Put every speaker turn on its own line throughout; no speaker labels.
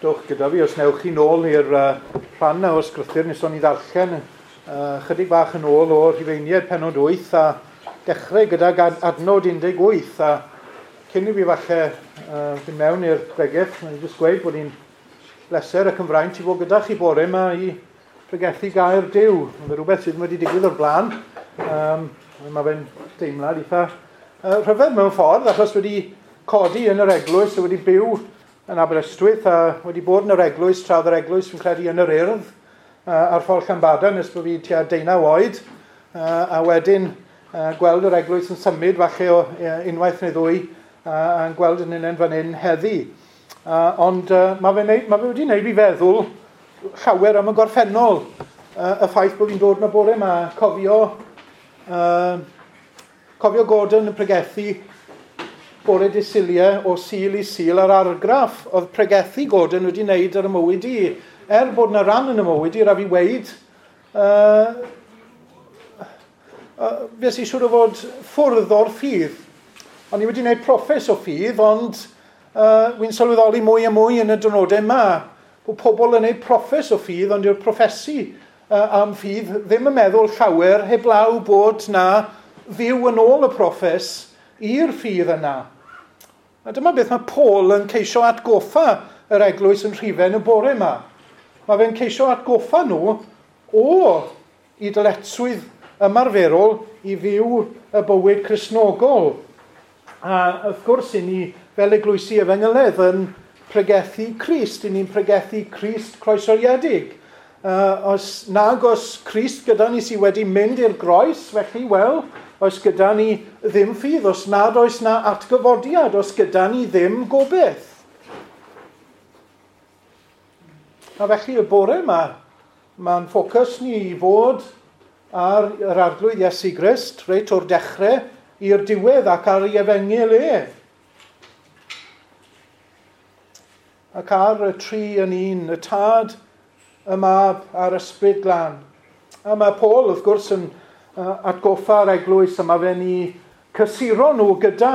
Dowch gyda fi os newch chi nôl i'r rhan o ysgrythur nes o'n i ddarllen chydig bach yn ôl o'r Rhufeiniaid pennod 8 a dechrau gydag adnod 18 a cyn i fi falle fynd mewn i'r bregeth, mae'n jyst gweud bod ni'n bleser ac yn fraint i fod gyda chi bore yma i pregethu gair Duw. Mae'n rhywbeth sydd wedi digwydd o'r blaen. Mae fe'n deimlad eitha rhyfedd mewn ffordd, achos wedi codi yn yr eglwys, wedi byw yn Aberystwyth a wedi bod yn yr eglwys, tra oedd yr eglwys fi'n credu yn yr Urdd ar ffordd Llanbadarn nes bod fi tua 19 oed, a wedyn gweld yr eglwys yn symud falle o unwaith neu ddwy a'n gweld yn unen fan hyn heddi. Ond mae fe wedi wneud fi feddwl llawer am y gorffennol, y ffaith bod fi'n dod yma bore yma, cofio Gordon yn pregethu bore dydd Suliau o Sul i Sul a'r argraff oedd pregethu Gordon wedi wneud ar y mywyd i. Er bod yna ran yn y mywyd i, rhaid fi weud, fues i siŵr o fod ffwrdd o'r ffydd. O'n i wedi gwneud proffes o ffydd, ond wy'n sylweddoli mwy a mwy yn y diwrnodau yma bod pobl yn gwneud proffes o ffydd, ond yw'r proffesu am ffydd ddim yn meddwl llawer heblaw bod na fyw yn ôl y proffes i'r ffydd yna. A dyma beth mae Paul yn ceisio atgoffa yr eglwys yn Rhufain y bore yma. Mae fe'n ceisio atgoffa nhw o i dyletswydd ymarferol i fyw y bywyd Cristnogol. A wrth gwrs, i ni fel eglwysi efengyledd yn pregethu Crist, i ni'n pregethu Crist croeshoeliedig. Os nag oes Crist gyda ni sydd wedi mynd i'r groes, felly, wel, oes gyda ni ddim ffydd, os nad oes na atgyfodiad, os gyda ni ddim gobaith. A felly y bore yma, mae'n ffocws ni i fod ar yr Arglwydd Iesu Grist, reit o'r dechrau i'r diwedd ac ar ei efengyl e. Ac ar y tri yn un, y Tad, y Mab a'r Ysbryd Glân. A mae Paul, wrth gwrs, yn atgoffa'r eglwys yma fe'n i cysuro nhw gyda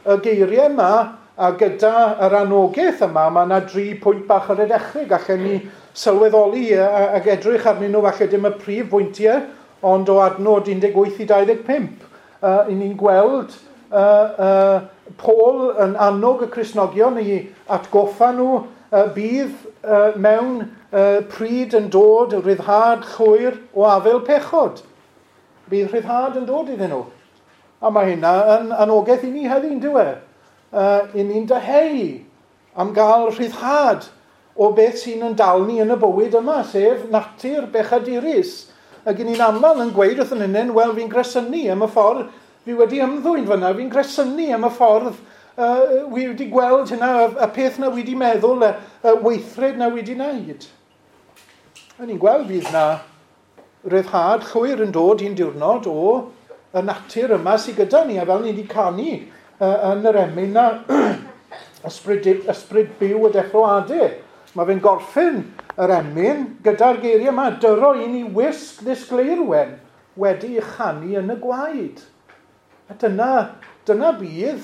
y geiriau yma a gyda yr anogaeth yma. Mae yna 3 pwynt bach ar y dechrau. Gallen ni sylweddoli ac edrych arnyn nhw, falle dim y prif bwyntiau, ond o adnod 18 i 25. I ni'n gweld Paul yn annog y Cristnogion i atgoffa nhw bydd mewn pryd yn dod rhyddhad llwyr o afael pechod. Bydd rhyddhad yn dod iddyn nhw. A mae hynna yn anogaeth i ni heddi, yn dyw e? I ni'n dyheu am gael rhyddhad o beth sy'n yn dal ni yn y bywyd yma, sef natur bechadurus. Ac i ni'n aml yn gweud wrth yn hunain, wel, fi'n gresynu am y ffordd fi wedi ymddwyn fyna, fi'n gresynu am y ffordd wi wedi gweld hynna, y peth na wedi meddwl, y weithred na wedi wneud. A ni'n gweld fydd na ryddhad llwyr yn dod un diwrnod o y natur yma sydd gyda ni, a fel ni wedi canu yn yr emyn na ysbryd byw y deffroadau. Mae fe'n gorffen yr emyn gyda'r geiriau yma, dyro i ni wisg ddisgleirwen wedi ei chanu yn y gwaed. A dyna bydd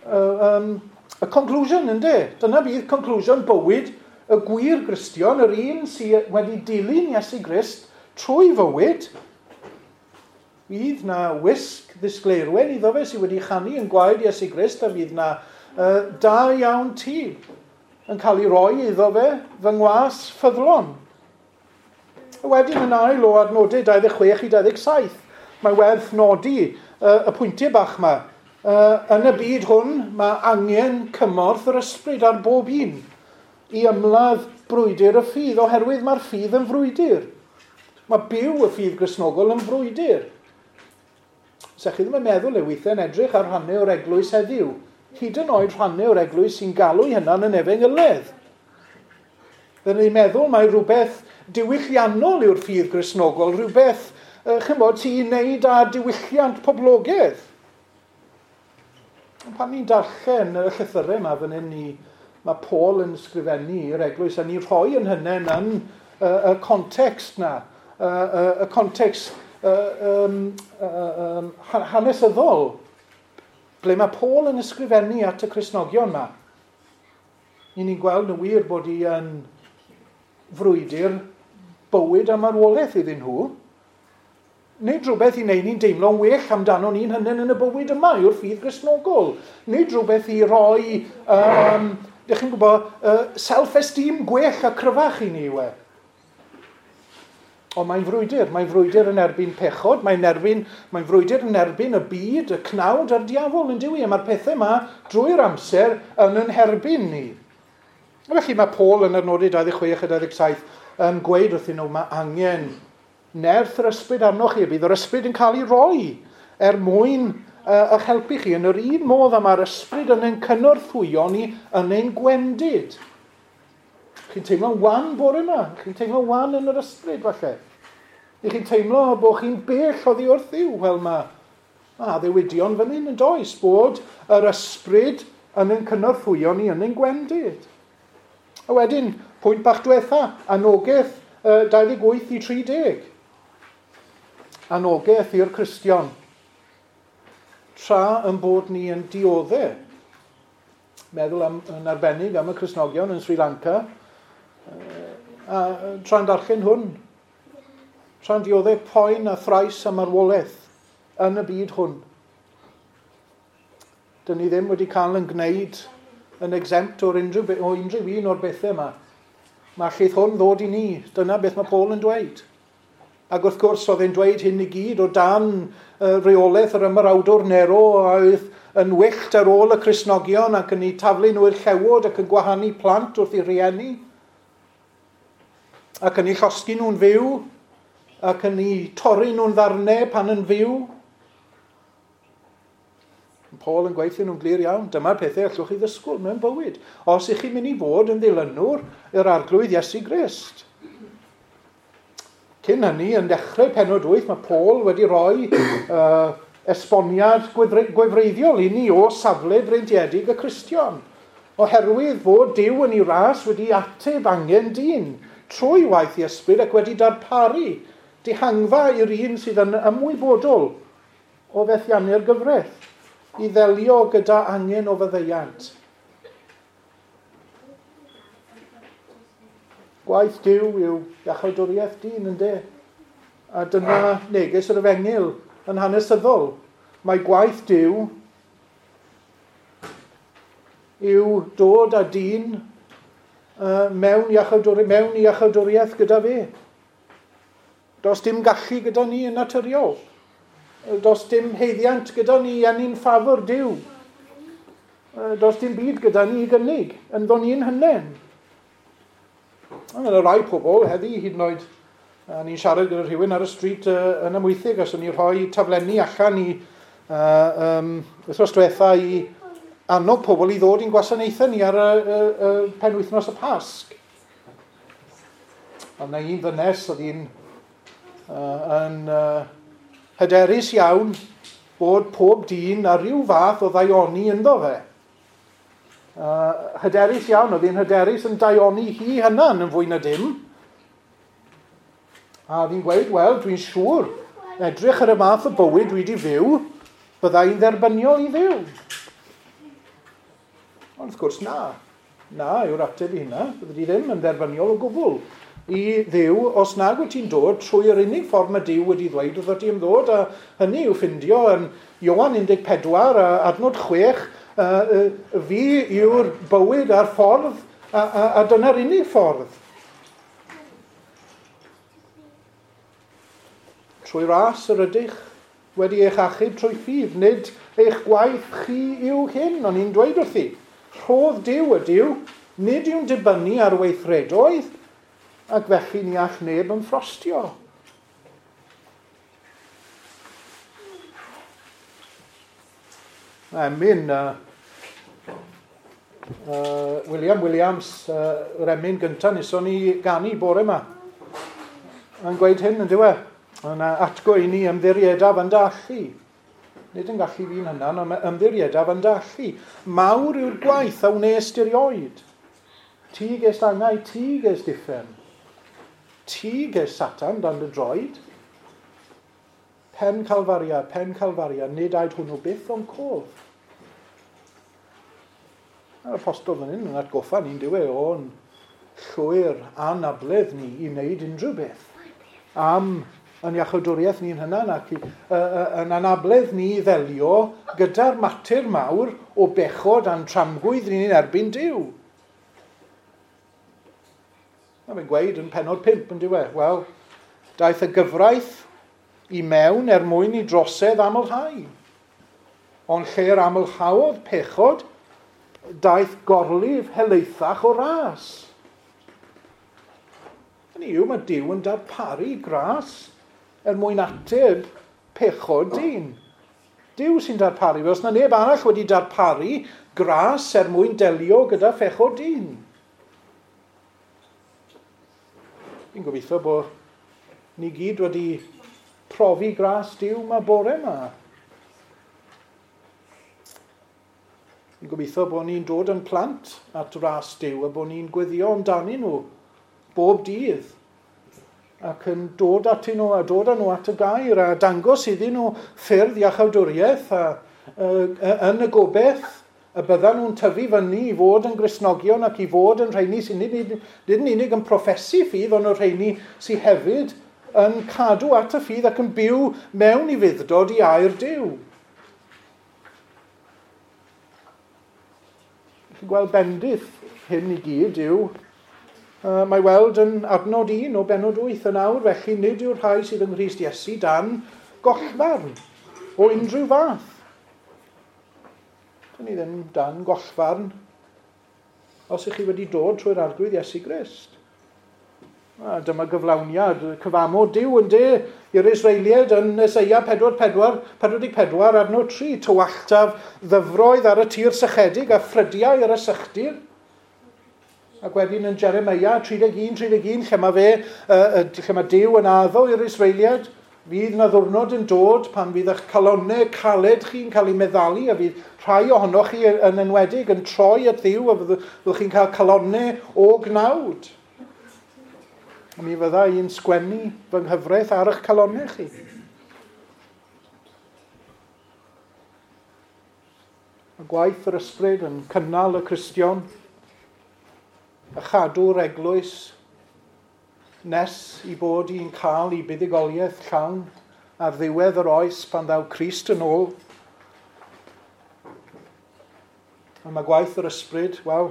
y conclusion, ynddo? Dyna bydd conclusion bywyd y gwir Gristion, yr un sydd wedi dilyn Iesu Grist trwy fywyd. Bydd na wisg ddisgleirwen iddo fe sydd wedi chanu yn gwaed Iesu Grist, a fydd na da iawn ti yn cael ei roi iddo fe fy ngwas ffyddlon. A wedyn yn ail o adnodau 26 i 27, mae werth nodi y pwyntiau bach yma. Yn y byd hwn, mae angen cymorth yr ysbryd ar bob un i ymladd brwydr y ffydd, oherwydd mae'r ffydd yn frwydr. Mae byw y ffydd Gristnogol yn frwydr. Sa chi ddim yn meddwl e weithiau yn edrych ar rhannau o'r eglwys heddiw. Hyd yn oed rhannau o'r eglwys sy'n galw eu hunain yn efengyledd. Fydden ni'n meddwl mai rhywbeth diwylliannol yw'r ffydd Gristnogol, rhywbeth chymod, sy'n wneud â diwylliant poblogaidd. Ond pan ni'n darllen y llythyrau yma fan hyn, mae Paul yn ysgrifennu i'r eglwys a ni'n rhoi yn hynny yn y context na, y context hanesyddol, ble mae Paul yn ysgrifennu at y Cristnogion yma. Ni'n gweld yn wir bod hi yn frwydr bywyd a marwolaeth iddyn nhw. Nid rhywbeth i wneud ni'n deimlo'n well amdano ni'n hynny yn y bywyd yma yw'r ffydd Gristnogol. Nid rhywbeth i roi, dych chi'n gwybod, self-esteem gwell a cryfach i ni yw e. Ond mae'n frwydr yn erbyn pechod, mae'n frwydr yn erbyn y byd, y cnawd a'r diafol yn dyw i, a mae'r pethau yma drwy'r amser yn yn herbyn ni. Felly mae Paul yn adnodau 26 a 27 yn gweud wrthyn nhw, mae angen nerth yr ysbryd arnoch chi, a bydd yr ysbryd yn cael ei roi er mwyn eich helpu chi yn yr un modd a mae'r ysbryd yn ein cynorthwyo ni yn ein gwendid. Chi'n teimlo'n wan bore yma, chi'n teimlo'n wan yn yr ysbryd falle. Chi'n teimlo bod chi'n bell oddi wrth Dduw. Wel, mae addewidion fan hyn yn does, bod yr ysbryd yn ein cynorthwyo ni yn ein gwendid. A wedyn, pwynt bach diwetha, anogaeth 28 i 30. Anogaeth i'r Cristion. Tra yn bod ni yn dioddef. Meddwl yn arbennig am y Cristnogion yn Sri Lanka, a tra'n darllen hwn, tra'n dioddef poen a thrais a marwolaeth yn y byd hwn. Dyn ni ddim wedi cael yn gwneud yn exempt o'r unrhyw un o'r bethau yma. Mae allith hwn ddod i ni. Dyna beth mae Paul yn dweud. Ac wrth gwrs, oedd e'n dweud hyn i gyd o dan reolaeth yr ymerawdwr Nero a oedd yn wyllt ar ôl y Cristnogion ac yn eu taflu nhw i'r llewod ac yn gwahanu plant wrth eu rhieni ac yn eu llosgi nhw'n fyw ac yn eu torri nhw'n ddarnau pan yn fyw. Paul yn gweithio nhw'n glir iawn, dyma'r pethau allwch chi ddysgwyl mewn bywyd. Os ych chi'n mynd i fod yn ddilynwr yr Arglwydd Iesu Grist. Cyn hynny, yn dechrau pennod 8, mae Paul wedi rhoi esboniad gwefreiddiol i ni o safle breintiedig y Cristion. Oherwydd fod Duw yn ei ras wedi ateb angen dyn trwy waith i ysbryd ac wedi darparu dihangfa i'r un sydd yn ymwybodol o fethiannu'r gyfraith i ddelio gyda angen o faddeuant. Gwaith Duw yw iachawdwriaeth dyn, ynde? A dyna neges yr efengyl yn hanesyddol. Mae gwaith Duw yw dod â dyn mewn iachawdwriaeth gyda fe. Does dim gallu gyda ni yn naturiol. Does dim heiddiant gyda ni yn ein ffafr Duw. Does dim byd gyda ni i gynnig, ynddo ni'n hynen. Mae yna rai pobl heddi hyd yn oed, ni'n siarad gyda rhywun ar y stryd yn Amwythig, os o'n i'n rhoi taflenni allan i wythnos diwetha i annog pobl i ddod i'n gwasanaethau ni ar y penwythnos y Pasg. Ond na un ddynes oedd hi'n yn hyderus iawn bod pob dyn a rhyw fath o ddaioni ynddo fe. Hyderus iawn, oedd hi'n hyderus yn daioni hi hyna'n yn fwy na dim. A oedd hi'n gweud, wel, dwi'n siŵr, edrych ar y math o bywyd dwi wedi fyw, bydda i'n dderbyniol i fyw. Ond wrth gwrs, na. Na yw'r ateb i hynna. Bydde di ddim yn dderbyniol o gwbl i Dduw os nag wyt ti'n dod trwy yr unig ffordd mae Duw wedi ddweud wrth ti am ddod, a hynny yw ffindio yn Ioan 14 a adnod 6, fi yw'r bywyd a'r ffordd, a dyna'r unig ffordd. Trwy ras yr ydych wedi eich achub trwy ffydd, nid eich gwaith chi yw hyn, o'n i'n dweud wrthi. Rhodd Duw ydyw, nid yw'n dibynnu ar weithredoedd, ac felly ni all neb yn ffrostio. Emyn, William Williams, yr emyn gyntaf neson ni ganu bore yma, yn gweud hyn yn diwe. Yna atgo i ni ymddiriedaf yn dallu. Nid yn gallu fi'n hynna, ond ymddiriedaf yn dallu. Mawr yw'r gwaith a wnes dirioed. Ti ges angau, ti ges diffen. Ti ges Satan dan dy droed. Pen Calfaria, nid aed hwnnw byth o'n cof. A'r apostol fan hyn yn atgoffa ni'n diwe o'n llwyr anabledd ni i wneud unrhyw beth am yn iachawdwriaeth ni'n hynna ac yn anabledd ni i ddelio gyda'r mater mawr o bechod a'n tramgwydd ni'n erbyn Duw. A mae'n gweud yn pennod 5 yn diwe, wel, daeth y gyfraith i mewn er mwyn i drosedd amlhau. Ond lle'r amlhaodd pechod, daeth gorlif helaethach o ras. Hynny yw, mae Duw yn darparu gras er mwyn ateb pechod dyn. Duw sy'n darparu. Os na neb arall wedi darparu gras er mwyn delio gyda phechod dyn. Fi'n gobeithio bod ni gyd wedi profi gras Duw yma bore yma. Fi'n gobeithio bod ni'n dod yn plant at ras Duw a bod ni'n gweddio amdanyn nhw bob dydd ac yn dod atyn nhw a dod â nhw at y gair a dangos iddyn nhw ffyrdd iachawdwriaeth a yn y gobeith y byddan nhw'n tyfu fyny i fod yn Gristnogion ac i fod yn rheini sy'n nid yn unig yn proffesu ffydd, ond o'r rheini sydd hefyd yn cadw at y ffydd ac yn byw mewn i fudd-dod i air Duw. Chi'n gweld bendith hyn i gyd yw, mae weld yn adnod 1 o bennod 8 yn awr, felly nid yw'r rhai sydd yng Nghrist Iesu dan gollfarn o unrhyw fath. Dyn ni ddim dan gollfarn os ych chi wedi dod trwy'r Arglwydd Iesu Grist. A dyma gyflawniad cyfamod Duw yn de i'r Israeliaid yn Eseia 44 adnod 3, tywalltaf ddyfroedd ar y tir sychedig a ffrydiau ar y sychdir. Ac wedyn yn Jeremia 31, lle mae fe, lle mae Duw yn addo i'r Israeliaid, fydd na ddwrnod yn dod pan fydd eich calonnau caled chi'n cael eu meddalu a fydd rhai ohonoch chi yn enwedig yn troi at Dduw a fyddwch chi'n cael calonnau o gnawd. A mi fydda i'n sgwennu fy nghyfraith ar eich calonnau chi. Mae gwaith yr ysbryd yn cynnal y Cristion a chadw'r eglwys nes i bod i'n cael ei buddugoliaeth llawn ar ddiwedd yr oes pan ddaw Crist yn ôl. A mae gwaith yr ysbryd, wel,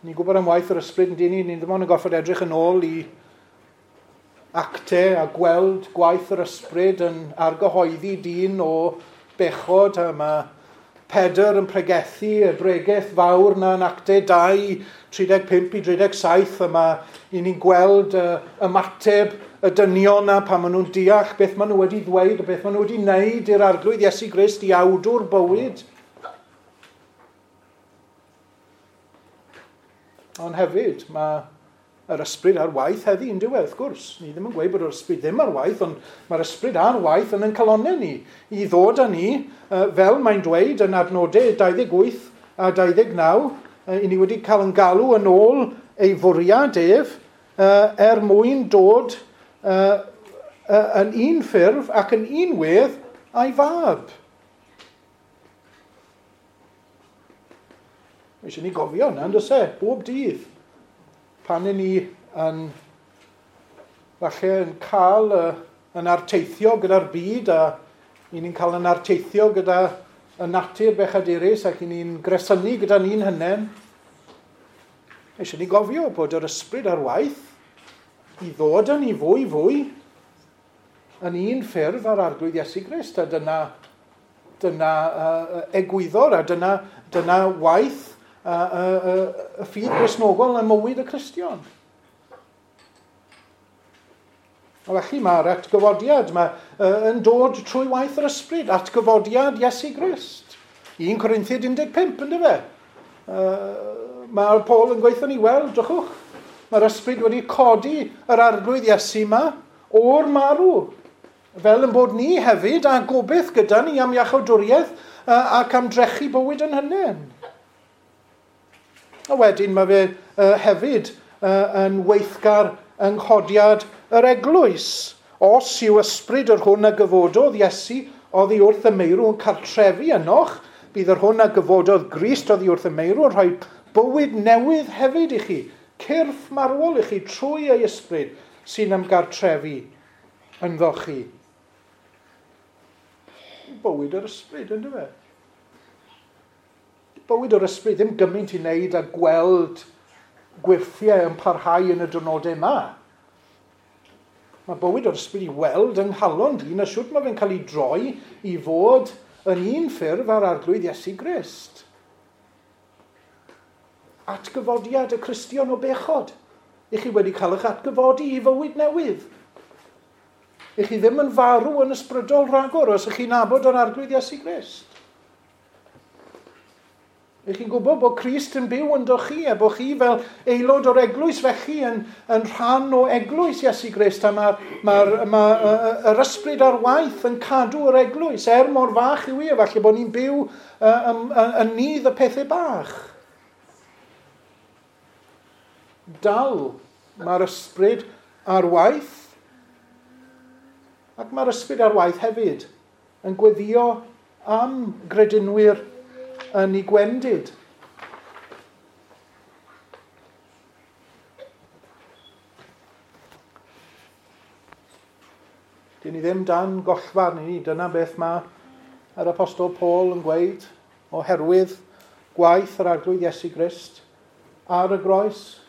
ni'n gwybod am waith yr ysbryd yn dyn ni, ni ddim ond yn gorfod edrych yn ôl i actau a gweld gwaith yr ysbryd yn argyhoeddi dyn o bechod, a mae Pedr yn pregethu y bregeth fawr na yn actau 2, 35 i 37, a mae i ni'n gweld ymateb y dynion na pan maen nhw'n deall beth maen nhw wedi ddweud a beth maen nhw wedi wneud i'r Arglwydd Iesu Grist i awdwr bywyd. Ond hefyd, mae yr ysbryd ar waith heddi yn diwedd, wrth gwrs. Ni ddim yn gweud bod yr ysbryd ddim ar waith, ond mae'r ysbryd ar waith yn ein calonnau ni, i ddod â ni, fel mae'n dweud yn adnodau 28 a 29, i ni wedi cael yn galw yn ôl ei fwriad ef, er mwyn dod yn un ffurf ac yn un wedd a'i fab. Mae eisiau ni gofio yna, yn does e, bob dydd. Pan i ni yn, falle yn cael yn arteithio gyda'r byd a i ni'n cael yn arteithio gyda y natur bechadurus ac i ni'n gresynu gyda ni'n hynen, eisiau ni gofio bod yr ysbryd ar waith i ddod â ni fwy fwy yn un ffurf ar Arglwydd Iesu Grist, a dyna egwyddor a dyna waith y ffydd Gristnogol yn mywyd y Cristion. A felly mae'r atgyfodiad yn dod trwy waith yr ysbryd, atgyfodiad Iesu Grist. 1 Corinthiaid 15, ynddo fe? Mae Paul yn gweithio ni, wel, drychwch, mae'r ysbryd wedi codi yr Arglwydd Iesu yma o'r marw, fel yn bod ni hefyd a gobeith gyda ni am iachawdwriaeth ac am drechu bywyd yn hynny. A wedyn mae fe hefyd yn weithgar yng nghodiad yr eglwys. Os yw ysbryd yr hwn a gyfododd Iesu oddi wrth y meirw yn cartrefu ynoch, Bydd yr hwn a gyfododd Grist oddi wrth y meirw yn rhoi bywyd newydd hefyd i chi, cyrff marwol i chi trwy ei ysbryd sy'n ymgartrefu ynddo chi. Bywyd yr ysbryd, ynddo fe? Bywyd yr ysbryd ddim gymaint i wneud â gweld gwyrthiau yn parhau yn y diwrnodau yma. Mae bywyd o'r ysbryd i weld yng nghalon dyn a siwt mae fe'n cael ei droi i fod yn un ffurf ar Arglwydd Iesu Grist. Atgyfodiad y Cristion o bechod. I chi wedi cael eich atgyfodi i fywyd newydd. I chi ddim yn farw yn ysbrydol rhagor os ych chi'n nabod yr Arglwydd Iesu Grist. Ych chi'n gwybod bod Crist yn byw ynddo chi a bod chi fel aelod o'r eglwys felly yn rhan o eglwys Iesu Grist a mae yr ysbryd ar waith yn cadw yr eglwys er mor fach yw i, falle bod ni'n byw yn nydd y pethau bach. Dal mae'r ysbryd ar waith ac mae'r ysbryd ar waith hefyd yn gweddio am gredinwyr yn ei gwendid. Dyn ni ddim dan gollfarn i ni. Dyna beth mae yr Apostol Paul yn gweud oherwydd gwaith yr Arglwydd Iesu Grist ar y groes.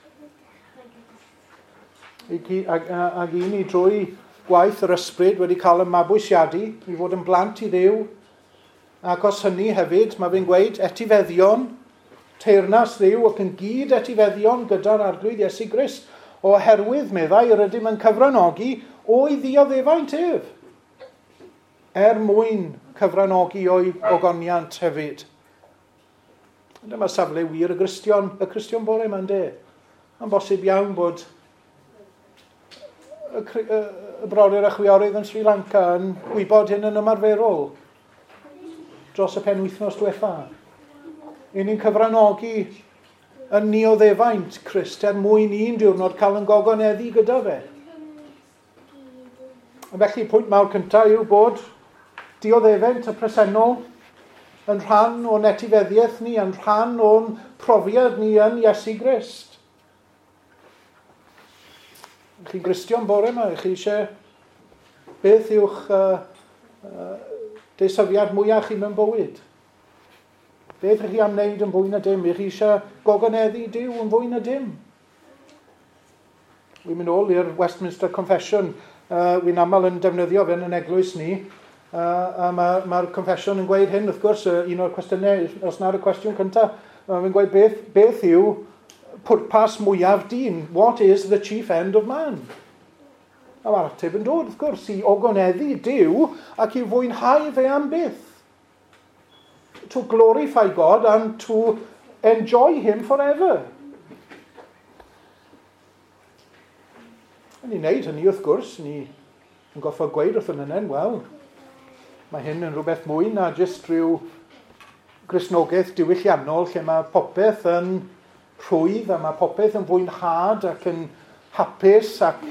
Ac i ni drwy gwaith yr ysbryd wedi cael y mabwysiadu i fod yn blant i Dduw. Ac os hynny hefyd, mae fe'n gweud etifeddion, teyrnas Dduw ac yn gyd etifeddion gyda'r Arglwydd Iesu Grist, oherwydd, meddai, yr ydym yn cyfranogi o'i ddioddefaint ef, er mwyn cyfranogi o'i ogoniant hefyd. Dyma safle wir y Cristion bore yma'n de. Mae'n bosib iawn bod y brodyr a chwiorydd yn Sri Lanka yn gwybod hyn yn ymarferol dros y penwythnos diwetha. I ni'n cyfranogi yn nioddefaint Crist er mwyn un diwrnod cael yn gogoneddu gyda fe. Felly, pwynt mawr cyntaf yw bod dioddefaint y presennol yn rhan o'n etifeddiaeth ni, yn rhan o'n profiad ni yn Iesu Grist. Chi'n Gristion bore yma, chi eisiau beth yw'ch deisyfiad mwyaf chi mewn bywyd? Beth ych chi am wneud yn fwy na dim? Ych chi eisiau gogoneddu Duw yn fwy na dim? Wi'n mynd ôl i'r Westminster Confession. Wi'n aml yn defnyddio fe yn eglwys ni. A mae'r confession yn gweud hyn, wrth gwrs, un o'r cwestiynau, os na'r cwestiwn cyntaf, mae'n gweud beth yw pwrpas mwyaf dyn? What is the chief end of man? A mae'r ateb yn dod, wrth gwrs, i ogoneddu Duw ac i fwynhau fe am byth. To glorify God and to enjoy him forever. A ni'n neud hynny, wrth gwrs, ni yn goffo gweud wrth yn hynny, wel, mae hyn yn rhywbeth mwy na jyst rhyw Gristnogaeth diwylliannol lle mae popeth yn rhwydd a mae popeth yn fwynhad ac yn hapus ac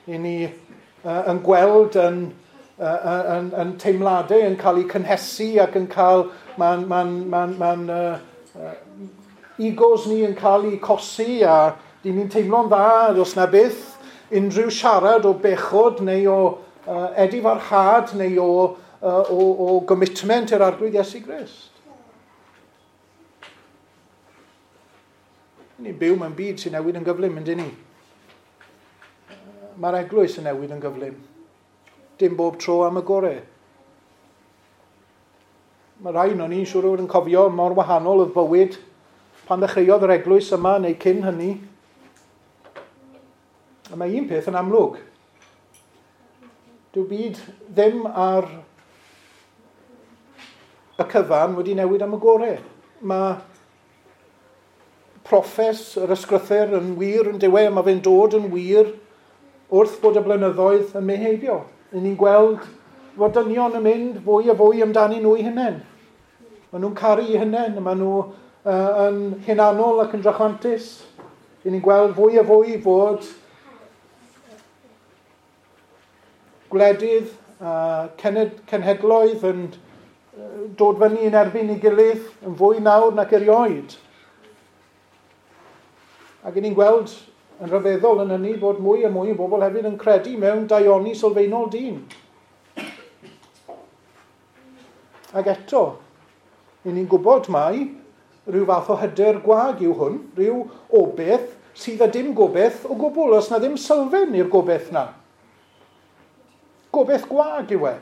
i ni yn gweld yn teimladau yn cael eu cynhesu ac yn cael egos ni yn cael eu cosi a dyn ni'n teimlo'n dda os na byth unrhyw siarad o bechod neu o edifarhad neu o gommitment i'r Arglwydd Iesu Grist. Ni'n byw mewn byd sy'n newid yn gyflym, yndyn ni? Mae'r eglwys yn newid yn gyflym. Dim bob tro am y gorau. Mae rhai o'n ni'n siŵr o fod yn cofio mor wahanol oedd bywyd pan ddechreuodd yr eglwys yma neu cyn hynny. A mae un peth yn amlwg. Dyw byd ddim ar y cyfan wedi newid am y gorau. Mae proffes yr ysgrythur yn wir yn diwedd, mae fe'n dod yn wir wrth bod y blynyddoedd yn mynd heibio. Ni'n gweld fod dynion yn mynd fwy a fwy amdani nhw eu hunain. Maen nhw'n caru eu hunain, maen nhw yn hunanol ac yn drachwantus. Ni'n gweld fwy a fwy fod gwledydd a cenhedloedd yn dod fyny yn erbyn ei gilydd yn fwy nawr nac erioed. Ac ni'n gweld yn rhyfeddol yn hynny bod mwy a mwy o bobl hefyd yn credu mewn daioni sylfaenol dyn. Ac eto, i ni'n gwybod mai rhyw fath o hyder gwag yw hwn, rhyw obaith sydd â dim gobaith o gwbl, os na ddim sylfaen i'r gobaith na. Gobaith gwag yw e.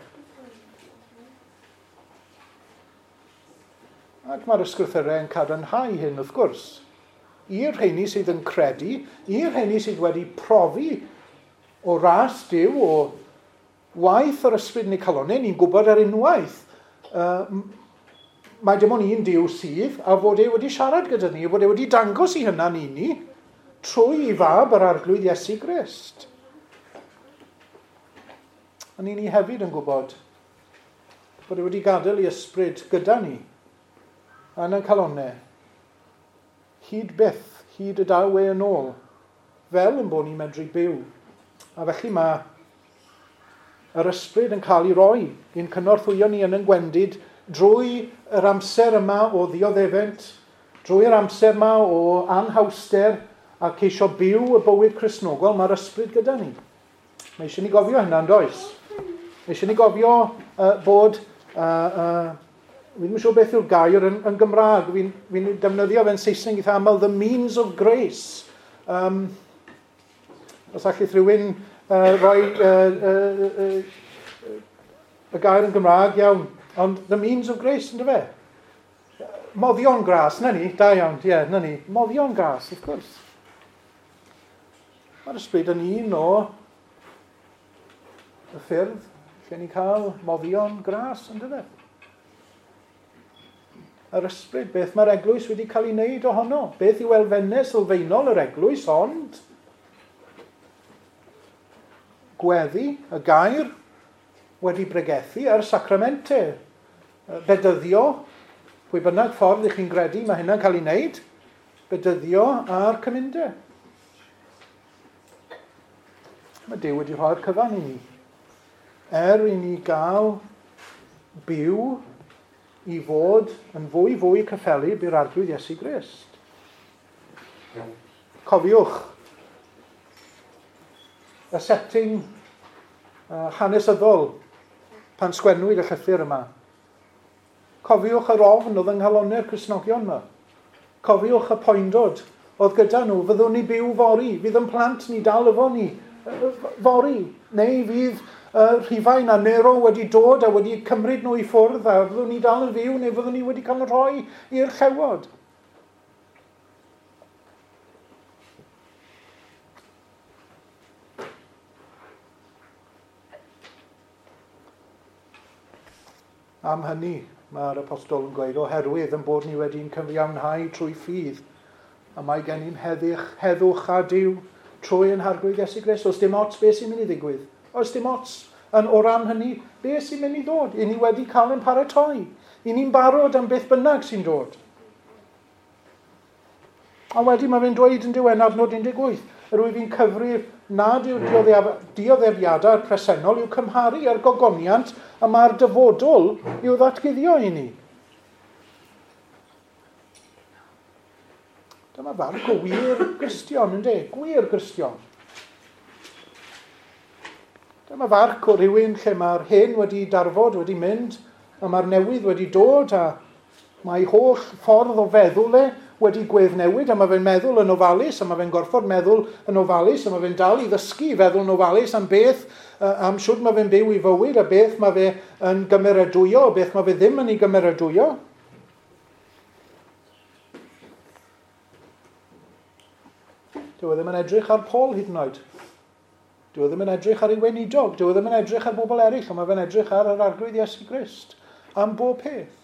Ac mae'r ysgrythurau yn cadarnhau hyn, wrth gwrs. I'r rheini sydd yn credu, i'r rheini sydd wedi profi o ras Duw, o waith yr ysbryd yn eu calonnau, ni'n gwybod ar unwaith, mae dim ond un Duw sydd, a fod e wedi siarad gyda ni, fod e wedi dangos i hynna'n i ni, trwy ei fab yr Arglwydd Iesu Grist. A ni hefyd yn gwybod bod e wedi gadael ei ysbryd gyda ni, yn ein calonnau, hyd byth, hyd y daw e yn ôl, fel yn bod ni'n medru byw. A felly mae yr ysbryd yn cael ei roi i'n cynorthwyo ni yn ein gwendid drwy yr amser yma o ddioddefent, drwy'r amser yma o anhawster a ceisio byw y bywyd Cristnogol, mae'r ysbryd gyda ni. Mae eisiau ni gofio hynna, yn does? Mae eisiau ni gofio bod... Fi ddim yn siŵr beth yw'r gair yn Gymraeg. Fi'n defnyddio fe'n Saesneg eitha aml, the means of grace. Os allith rhywun roi y gair yn Gymraeg, iawn. Ond the means of grace, ynddo fe? Moddion gras, na ni, da iawn, ie, na ni. Moddion gras, wrth gwrs. Mae'r ysbryd yn un o y ffyrdd lle ni'n cael moddion gras, ynddo fe? Yr ysbryd, beth mae'r eglwys wedi cael ei wneud ohono? Beth yw elfennau sylfaenol yr eglwys, ond gweddi, y gair, wedi bregethu ar sacramente. Bedyddio, pwy bynnag ffordd ych chi'n gredu mae hynna'n cael ei wneud, bedyddio a'r cymundeb. Mae Duw wedi rhoi'r cyfan i ni. Er i ni gael byw i fod yn fwy fwy cyffelyb i'r Arglwydd Iesu Grist. Cofiwch y setting hanesyddol pan sgwennwyd y llythyr yma. Cofiwch yr ofn oedd yng nghalonnau'r Cristnogion yma. Cofiwch y poendod oedd gyda nhw. Fyddwn ni byw fory, fydd yn plant ni dal efo ni fory, neu fydd Rhufain a Nero wedi dod a wedi cymryd nhw i ffwrdd a fyddwn ni dal yn fyw neu fyddwn ni wedi cael rhoi i'r llewod. Am hynny, mae'r apostol yn gweud, oherwydd yn bod ni wedi'n cyfiawnhau trwy ffydd, a mae gennym heddwch a Duw trwy ein Harglwydd Iesu Grist. Oes dim ots beth sy'n mynd i ddigwydd. Oes dim ots yn o ran hynny beth sy'n mynd i ddod. I ni wedi cael ein paratoi. I ni'n barod am beth bynnag sy'n dod. A wedyn mae fe'n dweud yn diwedd adnod 18, yr wyf fi'n cyfrif nad yw'r dioddefiadau'r presennol i'w cymharu â'r gogoniant a mae'r dyfodol i'w ddatguddio i ni. Dyma farc o wir Gristion, ynddi? Gwir Gristion. Dyma farc o rhywun lle mae'r hen wedi darfod, wedi mynd, a mae'r newydd wedi dod, a mae holl ffordd o feddwl e wedi gweddnewid, a mae fe'n meddwl yn ofalus, a mae fe'n gorfod meddwl yn ofalus, a mae fe'n dal i ddysgu i feddwl yn ofalus am beth, am siwr mae fe'n byw i fywyd, a beth mae fe yn gymeradwyo, a beth mae fe ddim yn ei gymeradwyo. Dyw e ddim yn edrych ar Paul hyd yn oed. Dyw e ddim yn edrych ar ei weinidog. Dyw e ddim yn edrych ar bobl eraill, ond mae fe'n edrych ar yr Arglwydd Iesu Grist am bob peth.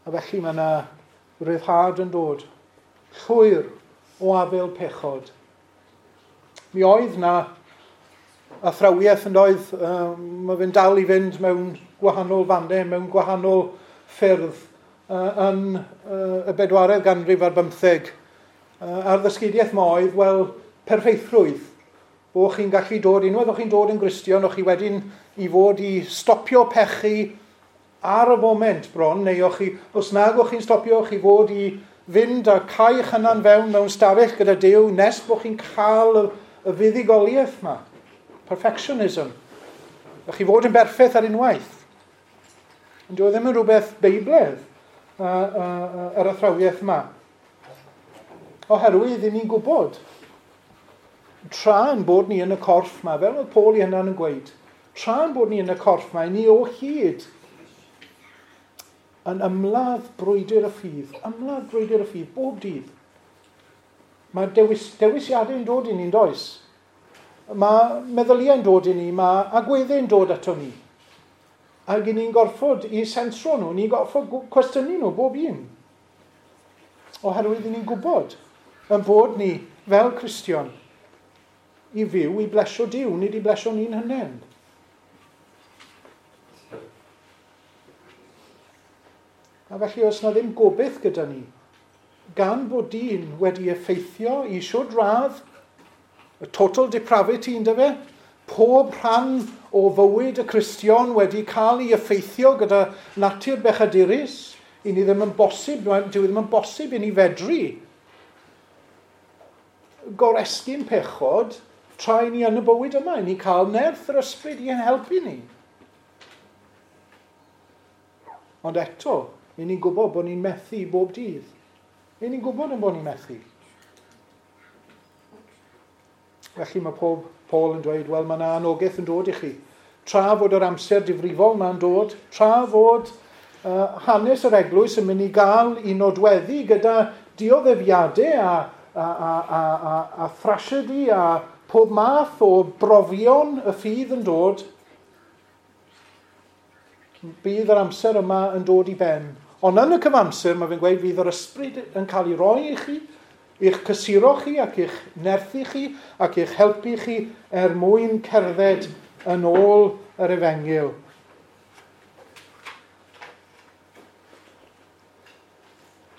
A felly mae yna ryddhad yn dod, llwyr o afael pechod. Mi oedd na athrawiaeth yn doedd, mae fe'n dal i fynd mewn gwahanol fannau, mewn gwahanol ffyrdd yn y bedwaredd ganrif ar bymtheg. A'r ddysgeidiaeth ma oedd, wel, perffeithrwydd. Bo chi'n gallu dod, unwaith o'ch chi'n dod yn Gristion, o'ch chi wedyn i fod i stopio pechu ar y foment bron, neu o'ch chi, os nag o'ch chi'n stopio, o'ch chi fod i fynd a cau eich hunan fewn mewn stafell gyda Duw nes bod chi'n cael y fuddugoliaeth yma. Perfectionism. O'ch chi fod yn berffaith ar unwaith. Ond dyw e ddim yn rhywbeth Beiblaidd, yr athrawiaeth yma. Oherwydd i ni'n gwybod, tra'n bod ni yn y corff yma, fel oedd Paul ei hunan yn gweud, tra'n bod ni yn y corff yma, ni o hyd yn ymladd brwydr y ffydd, ymladd brwydr y ffydd, bob dydd. Mae dewisiadau'n dod i ni'n does. Mae meddyliau'n dod i ni, mae agweddau'n dod ato ni. Ac i ni'n gorfod i sensro nhw, ni'n gorfod cwestiynu nhw bob un. Oherwydd i ni'n gwybod yn bod ni fel Cristion i fyw i blesio Duw, nid i blesio ni'n hunain. A felly os na ddim gobaith gyda ni, gan bod dyn wedi effeithio i siwd radd, y total depravity ynddo fe, pob rhan o fywyd y Cristion wedi cael ei effeithio gyda natur bechadurus, i ni ddim yn bosib, dyw e ddim yn bosib i ni fedru goresgyn pechod tra i ni yn y bywyd yma, i ni cael nerth yr ysbryd i'n helpu ni. Ond eto, i ni'n gwybod bod ni'n methu bob dydd. I ni'n gwybod yn bod ni'n methu. Felly mae pob Paul yn dweud, wel, mae yna anogaeth yn dod i chi. Tra fod yr amser difrifol ma'n dod, tra fod hanes yr eglwys yn mynd i gael i nodweddu gyda dioddefiadau a thrasiedi a pob math o brofion y ffydd yn dod, bydd yr amser yma yn dod i ben. Ond yn y cyfamser, mae fe'n gweud, fydd yr ysbryd yn cael ei roi i chi, i'ch cysuro chi ac i'ch nerthu chi ac i'ch helpu chi er mwyn cerdded yn ôl yr efengyl.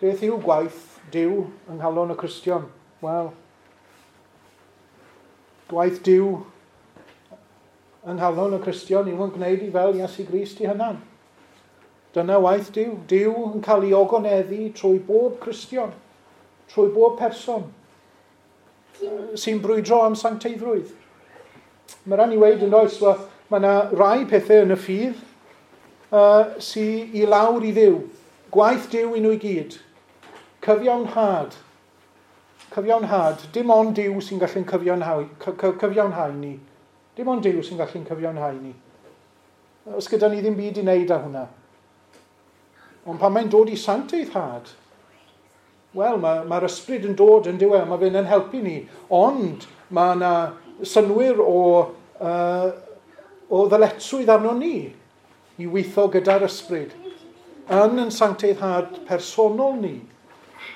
Beth yw gwaith Duw yng nghalon y Cristion? Wel, gwaith Duw yng nghalon y Cristion yw yn gwneud i fel Iesu Grist i hunan. Dyna waith Duw. Duw yn cael ei ogoneddu trwy bob Cristion, trwy bob person sy'n brwydro am sancteiddrwydd. Mae rhan i weud yn oes, mae yna rai pethau yn y ffydd sy'n i lawr i Dduw. Gwaith Duw i nhw i gyd. Cyfiawnhad. Cyfiawnhad. Dim ond Duw sy'n gallu'n cyfiawnhau ni. Dim ond Duw sy'n gallu'n cyfiawnhau ni. Os gyda ni ddim byd i wneud â hwnna. Ond pan mae'n dod i sancteiddhad, wel, mae'r ysbryd yn dod yn diwedd, mae fe'n helpu ni. Ond mae yna synwyr o ddyletswydd arno ni i weithio gyda'r ysbryd yn sancteiddhad personol ni,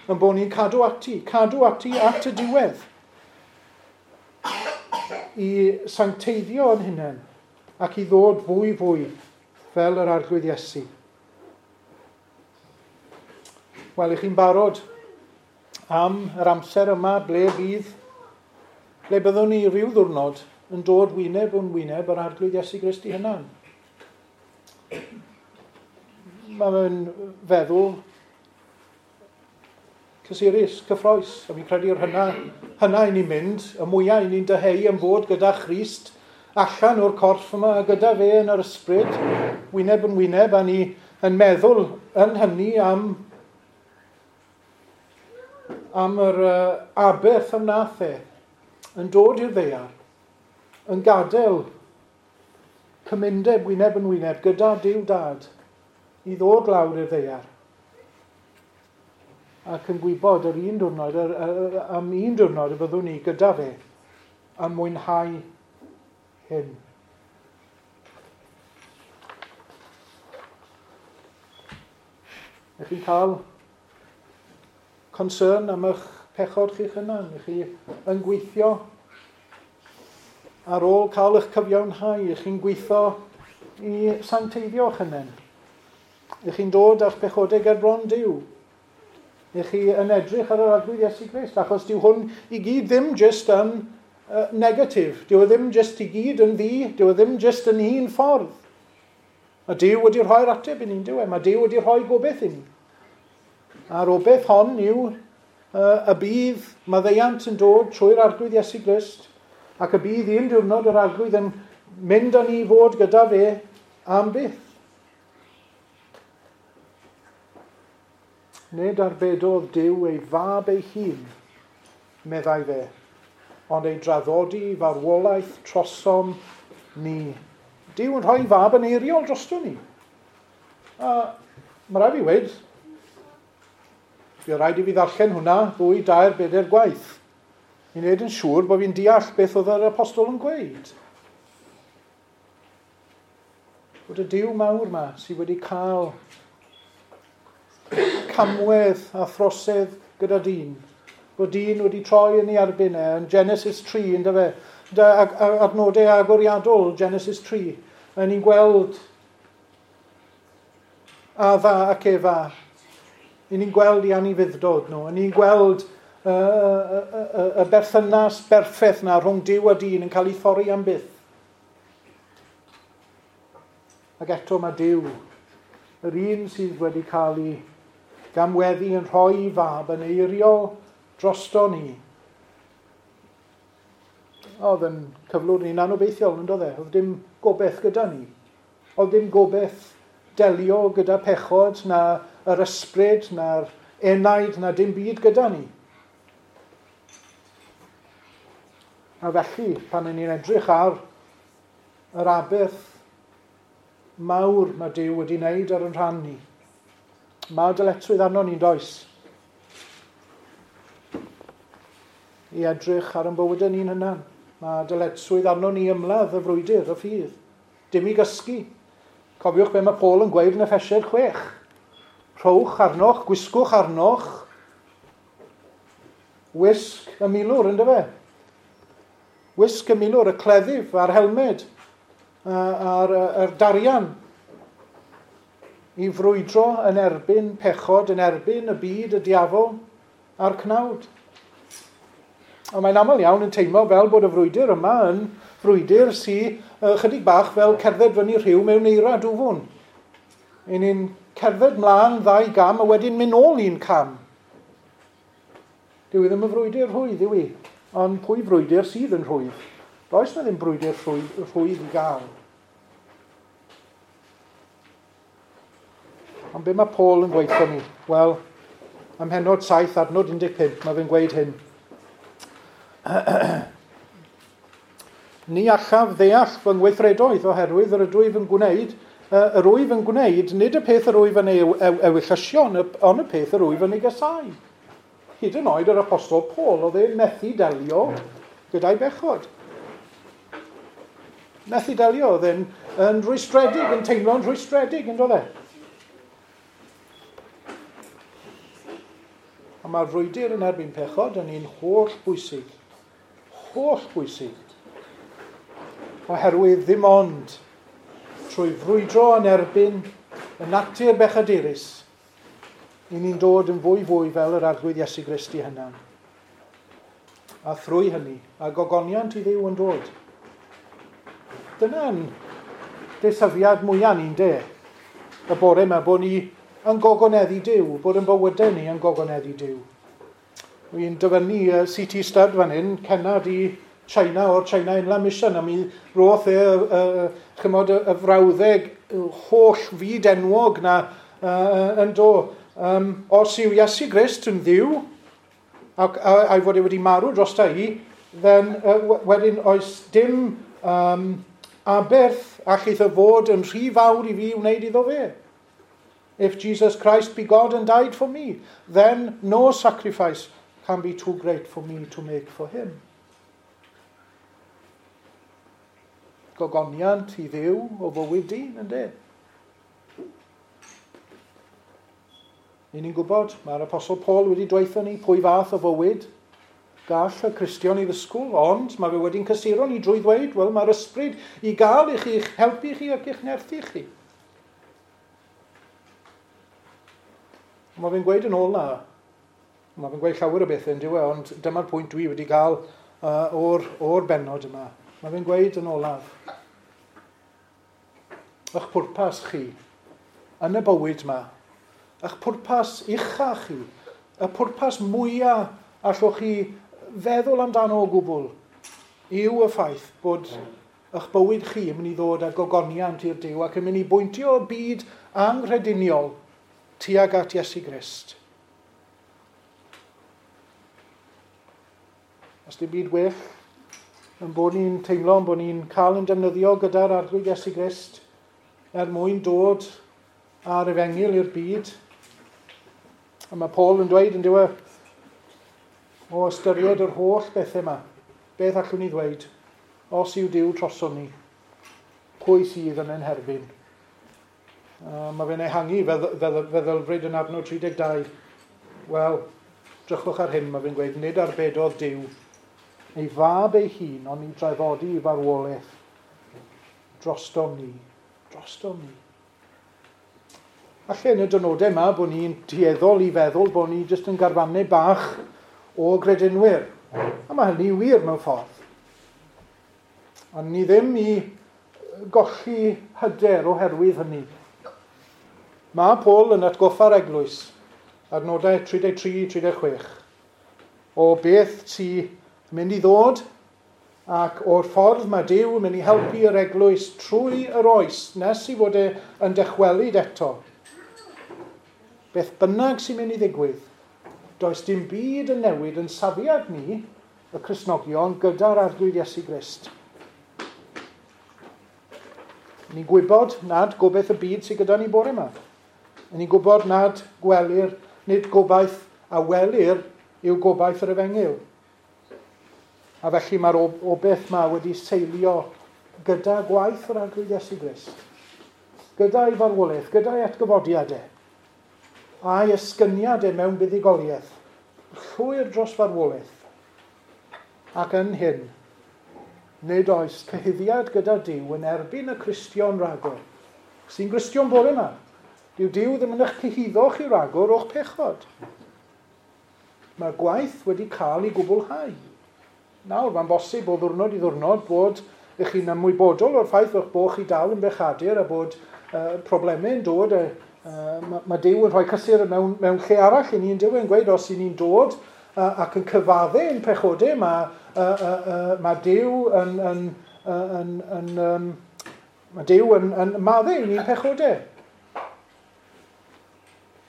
yn bod ni'n cadw ati at y diwedd i sancteiddio yn hunain ac i ddod fwy fwy fel yr Arglwydd Iesu. Wel, i chi'n barod am yr amser yma ble byddwn ni rhyw ddiwrnod yn dod wyneb yn wyneb yr Arglwydd Iesu Grist i hunan. Mae fe'n feddwl cysurus, cyffroes, a fi'n credu'r hynna i ni'n mynd, y mwyaf i ni'n dyheu am fod gyda Christ allan o'r corff yma, a gyda fe yn yr ysbryd, wyneb yn wyneb, a ni yn meddwl yn hynny am yr aberth am nath e, yn dod i'r ddaear, yn gadael cymundeb wyneb yn wyneb gyda Duw Dad i ddod lawr i'r ddaear ac yn gwybod yr un diwrnod, am un diwrnod y byddwn ni gyda fe yn mwynhau hyn. Ych chi'n cael concern am eich pechod chi'ch hunan? Ych chi yn gweithio ar ôl cael eich cyfiawnhau? Ych chi'n gweithio i sancteiddio eich hunain? Ych chi'n dod â'ch pechodau ger bron Duw? Ych chi yn edrych ar yr Arglwydd Iesu Grist? Achos dyw hwn i gyd ddim jyst yn negatif. Dyw e ddim jyst i gyd yn ddu, dyw e ddim jyst yn un ffordd. Mae Duw wedi rhoi'r ateb i ni'n dyw e. Mae Duw wedi rhoi gobeith i ni. A'r obeith hon yw y bydd maddeuant yn dod trwy'r Arglwydd Iesu Grist, ac y bydd un diwrnod yr Arglwydd yn mynd â ni fod gyda fe am byth. Nid arbedodd Duw ei fab ei hun, meddai fe, ond ei draddodi farwolaeth trosom ni. Duw yn rhoi fab yn eiriol drosto ni. A mae rhaid fi weud, bydd rhaid i fi ddarllen hwnna 2, 3, 4 gwaith i wneud yn siŵr bod fi'n deall beth oedd yr apostol yn gweud. Bod y Duw mawr yma sydd wedi cael camwedd a throsedd gyda dyn, bod dyn wedi troi yn ei erbyn e, yn Genesis 3, ynddo fe, adnodau agoriadol Genesis 3, a ni'n gweld Adda ac Efa, ni'n gweld i anufudd-dod nhw, ni'n gweld y berthynas berffaith na rhwng Duw a dyn yn cael ei thorri am byth. Ac eto mae Duw, yr un sydd wedi cael ei gamweddu yn rhoi ei fab yn eiriol drosto ni. Oedd yn cyflwr ni'n anobeithiol, yn doedd e? Oedd dim gobeith gyda ni. Oedd dim gobeith delio gyda pechod, na yr ysbryd, na'r enaid, na dim byd gyda ni. A felly, pan ni'n edrych ar yr aberth mawr mae Duw wedi wneud ar yn rhan ni, mae dyletswydd arno ni'n does i edrych ar yn bywydau ni'n hunan. Mae dyletswydd arno ni ymladd y frwydr, y ffydd. Dim i gysgu. Cofiwch be mae Paul yn gweud yn Effesiaid 6. Rhowch arnoch, gwisgwch arnoch, wisg y milwr, ynddo fe? Wisg y milwr, y cleddyf a'r helmed, a'r darian, i frwydro yn erbyn pechod, yn erbyn y byd, y diafol a'r cnawd. A mae'n aml iawn yn teimlo fel bod y frwydr yma yn frwydr sydd chydig bach fel cerdded fyny rhiw mewn eira dwfwn. I ni'n cerdded mlaen 2 gam a wedyn mynd nôl 1 cam. Dyw i ddim yn frwydr rhwydd, yw i. Ond pwy frwydr sydd yn rhwydd? Does na ddim brwydr rhwydd i gael. Ond be mae Paul yn gweithio ni? Wel, ym mhennod 7, adnod 15, mae fe'n gweud hyn. Ni allaf ddeall fy ngweithredoedd oherwydd yr ydwyf yn gwneud, yr wyf yn gwneud, nid y peth yr wyf yn ei ewyllysio, ond y peth yr wyf yn ei gasau. Hyd yn oed yr apostol Paul, oedd e'n methu delio gyda'i bechod. Methu delio, oedd e'n yn rhwystredig, yn teimlo'n rhwystredig, yn doedd e? A mae'r frwydr yn erbyn pechod yn un holl bwysig. Holl bwysig. Oherwydd ddim ond trwy frwydro yn erbyn y natur bechadurus, i ni'n dod yn fwy fwy fel yr Arglwydd Iesu Grist i hunan. A thrwy hynny, a gogoniant i Dduw yn dod. Dyna'n desyfiad mwyaf ni'n de. Y bore yma bod ni yn gogoneddu Duw, bod yn bywydau ni yn gogoneddu Duw. Wy'n dyfynnu C.T. Studd fan hyn, cennad i China o'r China Inland Mission, a mi roth e chymod, y frawddeg holl fyd enwog na yn do. Os yw Iesu Grist yn Dduw, ac a'i fod e wedi marw drosta i, then wedyn oes dim aberth allith y fod yn rhy fawr i fi wneud iddo fe. If Jesus Christ be God and died for me, then no sacrifice can be too great for me to make for him. Gogoniant i Dduw o fywyd dyn, yndê? Ni'n gwybod, mae'r Apostol Paul wedi dweutho ni pwy fath o fywyd gall y Cristion i ddysgwyl, ond mae fe wedi'n cysuro ni drwy ddweud, wel, mae'r ysbryd i gael i chi, i'ch helpu chi ac i'ch nerthu chi. Mae fe'n gweud yn ôl na, mae fe'n gweud llawer o bethau yn dyw e, ond dyma'r pwynt dwi wedi cael o'r bennod yma, mae fe'n gweud yn olaf, eich pwrpas chi yn y bywyd yma, eich pwrpas ucha chi, y pwrpas mwyaf allwch chi feddwl amdano o gwbl, yw y ffaith bod eich bywyd chi yn mynd i ddod â gogoniant i'r Duw ac yn mynd i bwyntio y byd anghrediniol tuag at Iesu Grist. Os dim byd well yn bod ni'n teimlo, yn bod ni'n cael yn defnyddio gyda'r Arglwydd Iesu Grist er mwyn dod â'r efengyl i'r byd. A mae Paul yn dweud yn diwedd, o ystyried yr holl bethau yma, beth allwn ni ddweud, os yw Duw troson ni, pwy sydd yn ein herbyn? Mae fe'n ehangu feddylfryd yn adnod 32. Wel, drychwch ar hyn, mae fe'n gweud, nid arbedodd Duw ei fab ei hun, ond i draddodi i farwolaeth drostom ni. Drostom ni. Falle yn y dynodau yma bod ni'n dueddol i feddwl bod ni jyst yn garfannau bach o gredinwyr. A mae hynny wir mewn ffordd. Ond ni ddim i golli hyder oherwydd hynny. Mae Paul yn atgoffa'r eglwys, adnodau 33-36, o beth sy'n mynd i ddod ac o'r ffordd mae Duw yn mynd i helpu yr eglwys trwy yr oes nes i fod e yn dychwelyd eto. Beth bynnag sy'n mynd i ddigwydd, does dim byd yn newid yn safiad ni, y Cristnogion, gyda'r Arglwydd Iesu Grist. Ni'n gwybod nad gobaith y byd sydd gyda ni bore yma. Ni'n gwybod nad gwelir, nid gobaith a welir yw gobaith yr efengyl. A felly mae'r obaith yma wedi seilio gyda gwaith yr Arglwydd Iesu Grist, gyda'i farwolaeth, gyda'i atgyfodiadau, a'i esgyniadau mewn buddugoliaeth, llwyr dros farwolaeth. Ac yn hyn, nid oes cyhuddiad gyda Duw yn erbyn y Cristion ragor. Sy'n Gristion bore yma. Dyw Duw ddim yn eich cyhuddo chi ragor o'ch pechod. Mae'r gwaith wedi cael ei gwblhau. Nawr, mae'n bosib o ddwrnod i ddwrnod bod ych chi'n ymwybodol o'r ffaith eich bod chi dal yn bechadur a bod problemau yn dod. Mae Duw yn rhoi cysur mewn lle arall i ni'n Duw yn gweud os i ni'n dod ac yn cyfadde ein pechodau, mae Duw yn maddau i ni'n pechodau.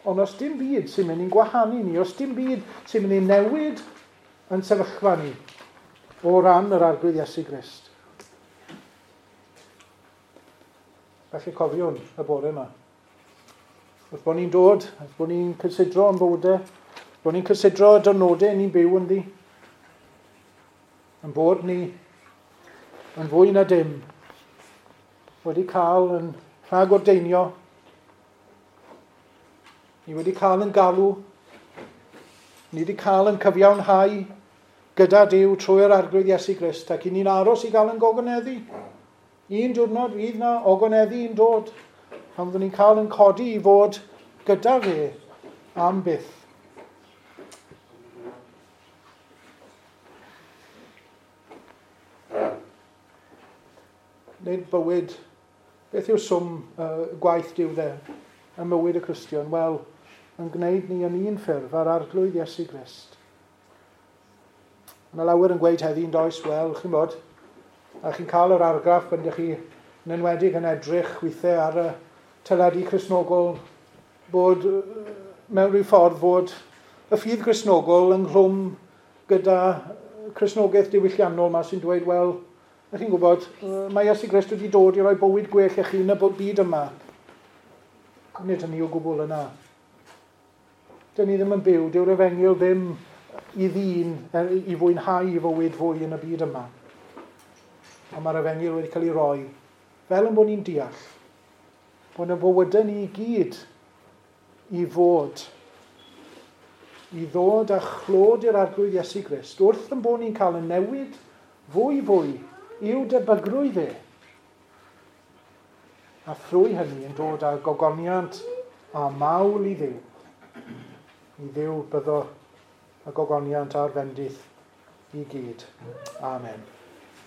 Ond os dim byd sy'n mynd i'n gwahanu ni, os dim byd sy'n mynd i newid yn sefyllfa ni o ran yr Arglwydd Iesu Grist. Felly cofiwn y bore yma. Wrth bod ni'n dod, wrth bod ni'n cysidro yn bywydau, wrth bod ni'n cysidro y dyrnodau ni'n byw ynddi, yn bod ni yn fwy na dim wedi cael yn rhagordeinio, ni wedi cael yn galw, ni wedi cael yn cyfiawnhau gyda Duw trwy'r Arglwydd Iesu Grist, ac i ni'n aros i gael yn gogoneddu. Un diwrnod fydd na ogoneddu yn dod, pan fyddwn ni'n cael yn codi i fod gyda fe am byth. Nid bywyd, beth yw swm gwaith Duw dde ym mywyd y Cristion? Wel, yn gwneud ni yn un ffurf ar Arglwydd Iesu Grist. Mae lawer yn gweud heddi yn does, wel, chi'n bod, a chi'n cael yr argraff pan ydych chi yn enwedig yn edrych weithiau ar y teledu Cristnogol bod mewn rhyw ffordd fod y ffydd Gristnogol ynghlwm gyda Cristnogaeth diwylliannol yma sy'n dweud, wel, ydych chi'n gwybod, mae Iesu Grist wedi dod i roi bywyd gwell i chi yn y byd yma. Nid hynny o gwbl yna. Dyn ni ddim yn byw, dyw'r efengyl ddim i ddyn i fwynhau i fywyd fwy yn y byd yma. Ond mae'r efengyl wedi cael ei roi, fel yn bod ni'n deall, bod y bywydau ni i gyd i fod, i ddod â chlod i'r Arglwydd Iesu Grist, wrth yn bod ni'n cael y newid fwy fwy i'w debygrwydd e. A thrwy hynny yn dod â gogoniant a mawl i Dduw. I Dduw byddo y gogoniant a'r fendith i gyd. Amen.